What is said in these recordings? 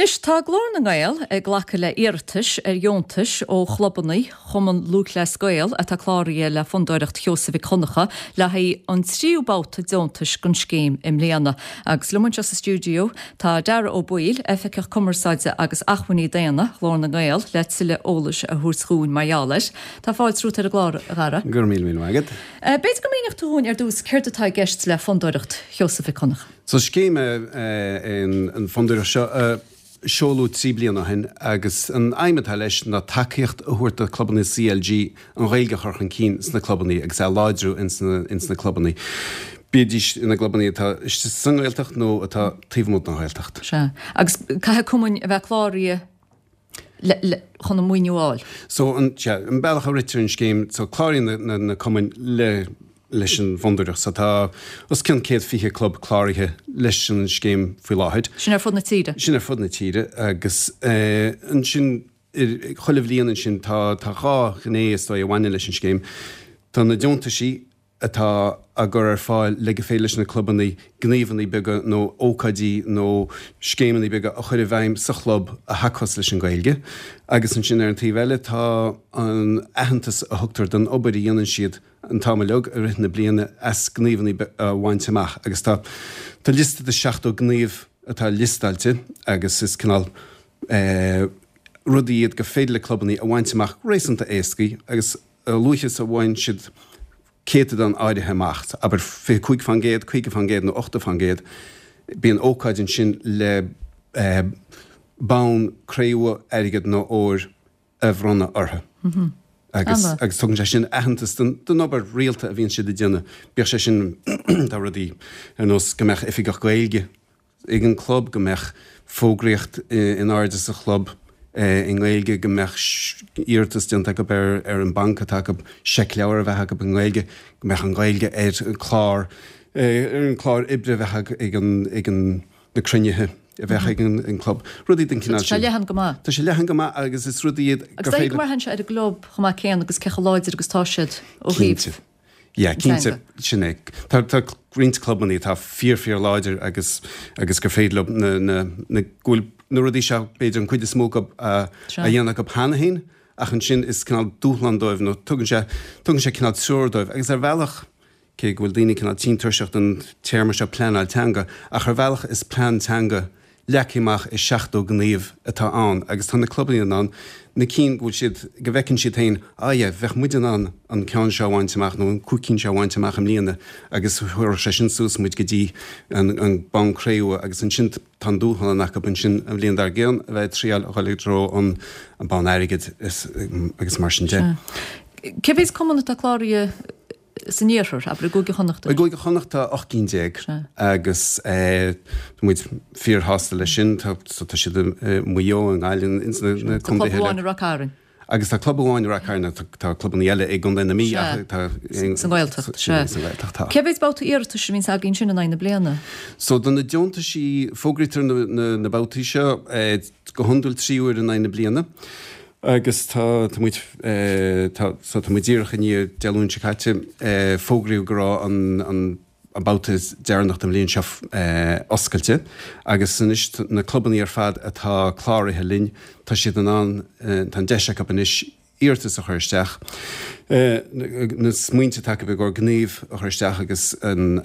Anois, tá Glór na nGael ag glacadh le iarratais ar dheontais ó chlubanna Chumann Lúthchleas Gael atá cláraithe le Fondúireacht Sheosaimh Mhic Dhonncha le haghaidh an tríú babhta deontais den scéim i mbliana. Agus liom anseo sa stiúideo tá Darragh Ó Baoill, Oifigeach Cumarsáide agus Acmhainní Daonna Ghlór na nGael le tuilleadh eolais a thabhairt dhúinn mar gheall air. Tá fáilte romhat ar an gclár, a Dharragh. Go raibh míle míle maith agat. B'fhéidir go míneodh tú dhúinn ar dtús céard atá i gceist le Fondúireacht Sheosaimh Mhic Dhonncha. So scéim é an Fondúireacht seo a seoladh 3 bliana ó shin agus an aidhm atá leis ná tacaíocht a thabhairt do clubanna CLG an Ghaeilge a chur chun cinn sna clubanna agus é a láidriú ins na clubanna, bídís ina gclubanna atá istigh sa nGaeltacht nó atá taobh amuigh den Ghaeltacht. Sea. Agus caithfidh cumainn a bheith cláraithe le chun an maoiniú a fháil. So an, sea, an bealach a ritear an scéim, so cláraíonn na, na, na cumainn le, leis an bhFondúireacht. So tá os cionn 120 club cláraithe leis an scéim faoi láthair. Sin ar fud na tíre? Sin ar fud na tíre agus eh, ansin chuile bhliain ansin tá, tá dhá ghné is dóigh a bhaineann leis an scéim. Tá na deontaisí atá á gcur ar fáil le go féidir leis na clubanna gníomhanna beaga nó ócáidí nó scéimeanna beaga a chur i bhfeidhm sa chlub a thacós leis an Ghaeilge agus ansin ar an taobh eile tá an aitheantas a thugtar don obair a dhéanann siad an t-am uilig i rith na bliana as gníomhanna a bhaint amach agus tá tá liosta de 70 gníomh atá liostáilte agus is cineál rudaí iad gur féidir le clubanna a bhaint amach réasúnta éascaí agus a luaithe is a bhain siad céatadán áirithe amach, abair 25%, 50% nó 80%, bíonn ócáid ansin le bonn cré-umha, airgid nó óir a bhronnadh orthu. Agus agus tugann sé sin aitheantas don obair rialta a bhíonn siad ag déanamh, bíodh sé sin, tá rudaí ar nós go mbeadh oifigeach Gaeilge ag an gclub, go mbeadh fógraíocht in airde sa chlub i nGaeilge, go mbeadh iarratas déanta acu ar an mbanc atá acu seicleabhar a bheith acu i nGaeilge, go mbeadh an Ghaeilge ar an chlár, ar an chlár oibre a bheadh ag an, ag an, na cruinnithe a bheadh ag an gclub, rudaí den chineál sin. Tá sé leathan go maith. Tá sé leathan go maith agus is rudaí iad gur féidir. Agus dóigh go mbraitheann sé ar an gclub chomh maith céanna agus cé chomh láidir agus atá siad ó thaobh. Cinnte. Yeah, cinnte, sin é. Tá, tá roinnt clubannaí atá fíor, fíor láidir agus, agus gur féidir leo na, na, na, go bhfuil na rudaí seo, b'fhéidir an cuid is mó acu a, a dhéanamh acu cheana féin, ach ansin is cineál dúshlán dóibh nó tugann sé, tugann sé cineál treoir dóibh agus ar bhealach, cé go bhfuil daoine cineál tinn tuirseach den téarma seo pleanáil teanga, ach ar bhealach is plean teanga leagtha amach i 70 gníomh atá ann agus tá na clubanna in ann na cinn go bhfuil siad, go bhfeiceann siad féin, ah yeah, bheadh muid in ann an ceann seo a bhaint amach nó an cúig cinn seo a bhaint amach i mbliana agus thabharfadh sé sin suas muid go dtí an an bonn cré-umha agus ansin tá an dúshlán acu ansin an bhliain dár gcionn a bheith ag triáil a dhul i dtreo an an bonn airgid is agus mar sin de. Cé mhéad cumann atá cláraithe San iarthar, abair, i gCúige Chonnacht. I gCúige Chonnacht tá 18 cinn agus tá muid fíorshásta leis sin. Tá siad i Maigh Eo, i nGaillimh, ins na contaetha eile. Tá club amháin i Ráth Cairn. Agus tá club amháin i Ráth Cairn, tá clubanna eile i gContae na Mí ach tá. Sa nGaeltacht, sea. Sa nGaeltacht, tá. Cé mhéad babhta iarratais a bhíonns againn sin in aghaidh na bliana? So do na deontaisí, fógraítear na babhtaí seo go hiondúil 3 uair in aghaidh na bliana. Agus tá, tá muid, tá, so tá muid díreach i ndiaidh Dé Luain seo caite, fógraíodh go raibh an, an, an babhta deireanach den bhliain seo oscailte agus anois na clubannaí ar fad atá cláraithe linn, tá siad in ann, tá an deis acu anois iarratas a chur isteach, na smaointe atá acu i gcomhair gníomh a chur isteach agus an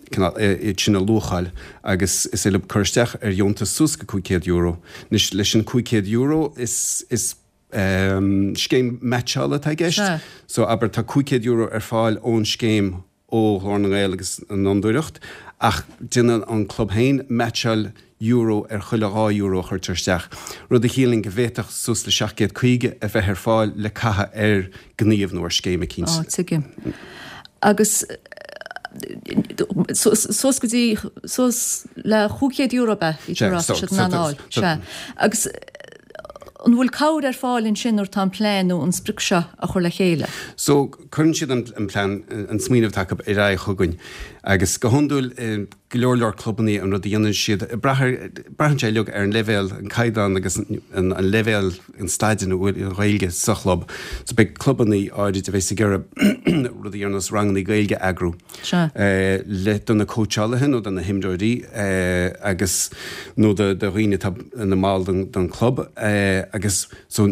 cineál iad sin a luacháil agus is féidir leo cur isteach ar dheontas suas go €500. Anois, leis an €500 is, is scéim meaitseála atá i gceist. So, abair, tá €500 ar fáil ón scéim ó Ghlór na nGael agus an Fhondúireacht, ach déanann an club féin meaitseáil euro ar chuile €2 a chuirtear isteach, rud a chiallaíonn go bhféadfadh suas le 750 a bheith ar fáil le caitheamh ar ghníomh nó ar scéim eicínt. Á, tuigim. Agus suas go dtí, suas le €500 ab ea? Bhí tú ag rá, tá siad in ann a fháil. Sea. Agus an bhfuil cabhair ar fáil ansin nuair atá an plean nó an sprioc seo á chur le chéile? So, cuireann siad an plean, an smaoineamh atá acu ar aghaidh chugainn agus go hiondúil. go leor leor clubannaí an rud a dhéanann siad, brath ar, braitheann sé uilig ar an leibhéal, an caighdeán agus an leibhéal, an staid ina bhfuil an Ghaeilge sa chlub. So beidh clubannaí áirid a bheas ag iarraidh rudaí ar nós rangannaí Gaeilge a eagrú le do na cóitseálaithe nó do na himreoirí agus nó do dhaoine atá ina mball den chlub agus so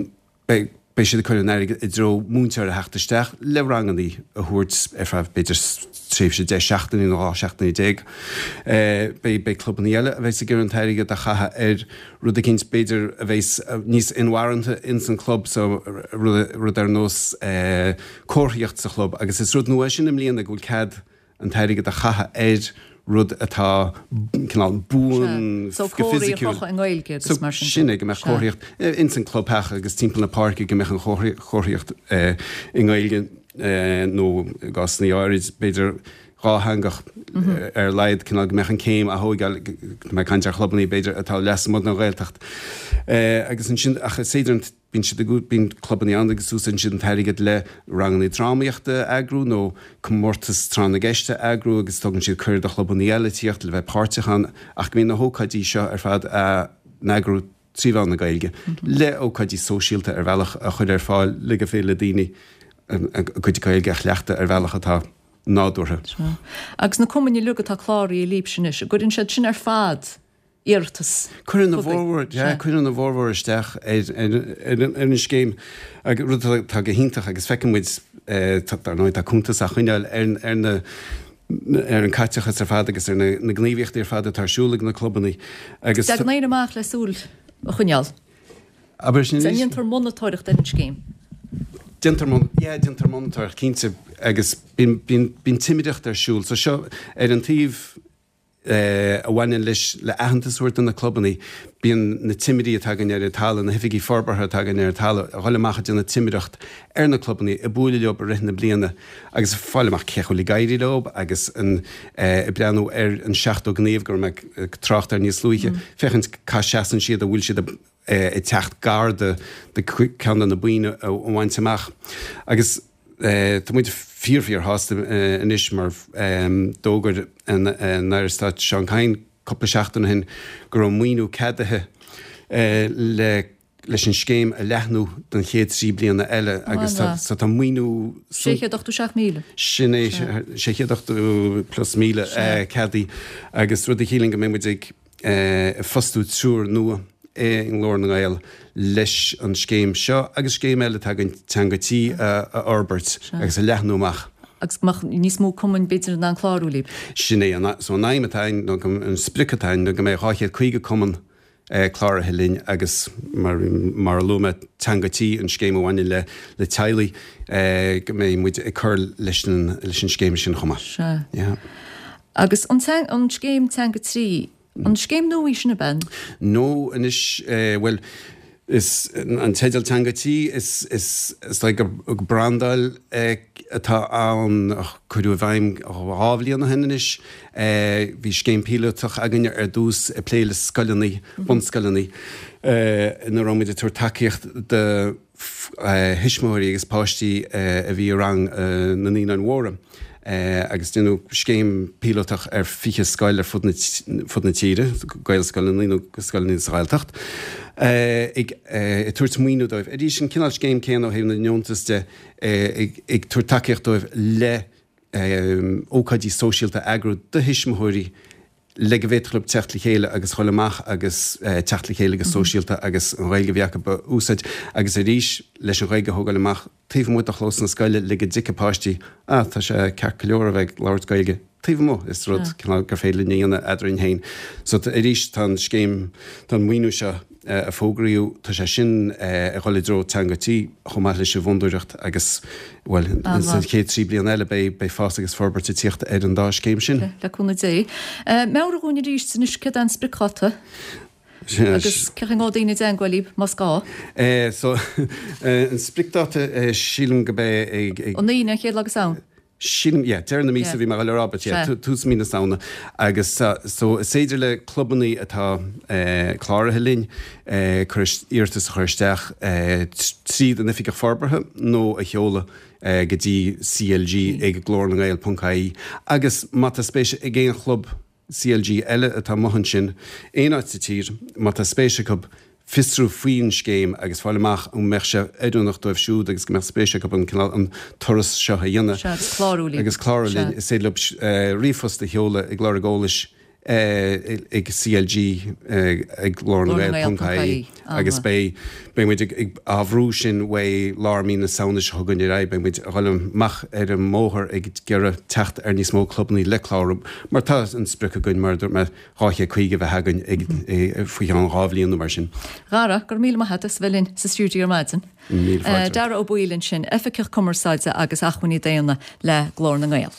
Beidh siad ag cur an airgid i dtreo múinteoir a theacht isteach le rangannaí a thabhairt ar feadh b'fhéidir tréimhse 10 seachtainí nó 12 seachtaine. Beidh beidh clubannaí eile a bheas ag iarraidh an t-airgead a chaitheamh ar rud eicínt b'fhéidir a bheas níos inmharthana ins an club so rud rud ar nós comharthaíocht sa chlub agus is rud nua é sin i mbliana go bhfuil cead an t-airgead a chaitheamh ar rud atá cineál buan go fisiciúil. So comharthaí a chrochadh i nGaeilge agus mar sin de. Sin é, go mbeadh comharthaíocht ins an clubtheach agus timpeall na páirce go mbeadh an chomharthaíocht i nGaeilge nó i gcásanna áirid b'fhéidir dhátheangach ar a laghad, cineál go mbeadh an céim á thóigeáil, tá mé ag caint ar chlubannaí b'fhéidir atá lasmuigh den Ghaeltacht. Agus ansin ach is féidir an. Bíonn siad ag, bíonn clubannaí ann agus úsáideann siad an t-airgead le rangannaí drámaíochta a eagrú nó comórtas tráth na gceist a eagrú agus tugann siad cuireadh do chlubannaí eile tíocht le bheith páirteach ann ach go mbíonn na hócáidí seo ar fad á n-eagrú trí mheán na Gaeilge le ócáidí sóisialta ar bhealach a chur ar fáil le gur féidir le daoine a gcuid Gaeilge a chleachtadh ar bhealach atá nádúrtha. Sea. Agus na cumainn uilig atá cláraithe libhse anois, an gcuireann siad sin ar fad iarratas Cuireann a bhformhór, yeah, cuireann a bhformhór isteach ar, ar, ar, ar an scéim, agus rud atá go hiontach agus feiceann muid, dar ndóigh, tá cuntas á choinneáil ar, ar na, ar an caiteachas ar fad agus ar na, na gníomhaíochtaí ar fad atá ar siúl ag na clubannaí agus. Tagann éinne amach le súil a choinneáil. Abair sin arís. Déantar monatóireacht ar an scéim. Déantar mon, yeah, déantar monatóireacht, cinnte, agus bíonn, bíonn, bíonn timireacht ar siúl. So seo, ar an taobh, a bhaineann leis le aitheantas a thabhairt do na clubannaí. Bíonn na timirí atá againn ar an talamh, na hoifigigh forbartha atá againn ar an talamh, a dhul amach ag déanamh timireacht ar na clubannaí, ag bualadh leo i rith na bliana agus ag fáil amach cé chaoi bhfuil ag éirí leo agus an ag breathnú ar an 70 gníomh go raibh mé ag trácht air níos luaithe, féachaint cá seasann siad, an bhfuil siad ag teacht gar do ceann de na boinn a bhaint amach. Agus. Tá muid fíor fíor shásta anois mar d'fhógair an Aire Stáit Seán Kyne cúpla seachtain ó shin go raibh maoiniú ceadaithe le leis an scéim a leathnú don chéad 3 bliana eile agus tá so tá maoiniú 687,000. Sin é 680 plus míle ceadaithe agus rud a chiallaíonn go mbeidh muid ag ag fostú triúr nua i nGlór na nGael leis an scéim seo agus scéim eile atá againn, Teanga Tí, a fhorbairt agus a leathnú amach. Agus go mbeadh níos mó cumainn b'fhéidir in ann clárú libh. Sin é an, so an aidhm atá againn nó an sprioc atá againn ná go mbeidh 250 cumann cláraithe linn agus mar, mar a luaigh mé, Teanga Tí, an scéim a bhaineann le, le teaghlaigh, go mbeidh muid ag cur leis an, leis an scéim sin chomh maith. Sea. Yeah. Agus an an scéim Teanga 3, an scéim nua í sin ab ea? No anois, bhuel, is an teideal Teanga Tí, is is is dóigh gur brandáil atá ann a cuireadh i bhfeidhm dhá bhliain ó shin anois. Bhí scéim píolótach againn ar dtús ag plé le scoileanna, bunscoileanna, ina raibh muid ag tabhairt tacaíocht do thuismitheoirí agus páistí a bhí i rang na Naíonáin Mhóra agus déanadh scéim píolótach ar 20 scoil ar fud na tíre, Gaelscoileanna nó scoileanna sa Ghaeltacht, ag tabhairt maoiniú dóibh. Arís, an cineál scéim céanna ó thaobh na ndeontas de, ag tabhairt tacaíocht dóibh le ócáidí sóisialta a eagrú do thuismitheoirí le go bhféadfadh leo teacht le chéile agus dhul amach agus teacht le chéile go sóisialta agus an Ghaeilge a bhí acu a úsáid agus arís leis an Ghaeilge a thógáil amach taobh amuigh de chlós na scoile le go dtuigfeadh páistí ah tá sé ceart go leor a bheith ag labhairt Gaeilge taobh amuigh, is rud cineál gur féidir linn a dhéanamh eadrainn féin. So arís tá an scéim, tá an maoiniú seo a fógraíodh, tá sé sin ag dhul i dtreo Teanga Tí chomh maith leis an bhfondúireacht agus, bhuel, sa chéad 3 bliana eile beidh beidh fás agus forbairt ag tíocht ar an dá scéim sin. Le cúnamh Dé. Meabhraigh dhúinn arís anois céard é an spriocdháta agus cén chaoi a ngabhfaidh daoine i dteangmháil libh más gá. So, an spriocdháta sílim go mbeidh ag. An Aoine, an chéad lá de Samhain. Sílim, yeah, deireadh na míosa bhí mé ag dul a rá, but yeah, tús mí na Samhna. Agus so is féidir le clubannaí atá cláraithe linn cur iarratas a chur isteach tríd an Oifigeach Forbartha nó a sheoladh go dtí CLG ag glórnangael ponc ie. Agus má tá spéis ag aon chlub. CLG eile atá amuigh ansin, aon áit sa tír, má tá spéis acu fiosrú faoin scéim agus fáil amach an mbeadh sé oiriúnach dóibh siúd agus go mbeadh spéis acu an cineál, an turas seo a dhéanamh. Sea, agus clárú linn. Agus clárú linn. Is féidir leo ríomhphost a sheoladh ag lorg eolais ag CLG ag Glór na nGael ponc ie agus beidh beidh muid ag á bhrú sin uaidh lár mí na Samhna seo chugainn ar aghaidh, beidh muid ag dhul amach ar an mbóthar ag iarraidh teacht ar níos mó clubannaí le clárú mar tá an sprioc againn mar a dúirt mé 250 a bheith againn ag faoi cheann 2 bhliain nó mar sin. Dhara, go raibh míle maith agat as a bheith linn sa stiúideo ar maidin. Míle fáilte. Dara Ó Baoill ansin, Oifigeach Cumarsáide agus Acmhainní Daonna le Glór na nGael.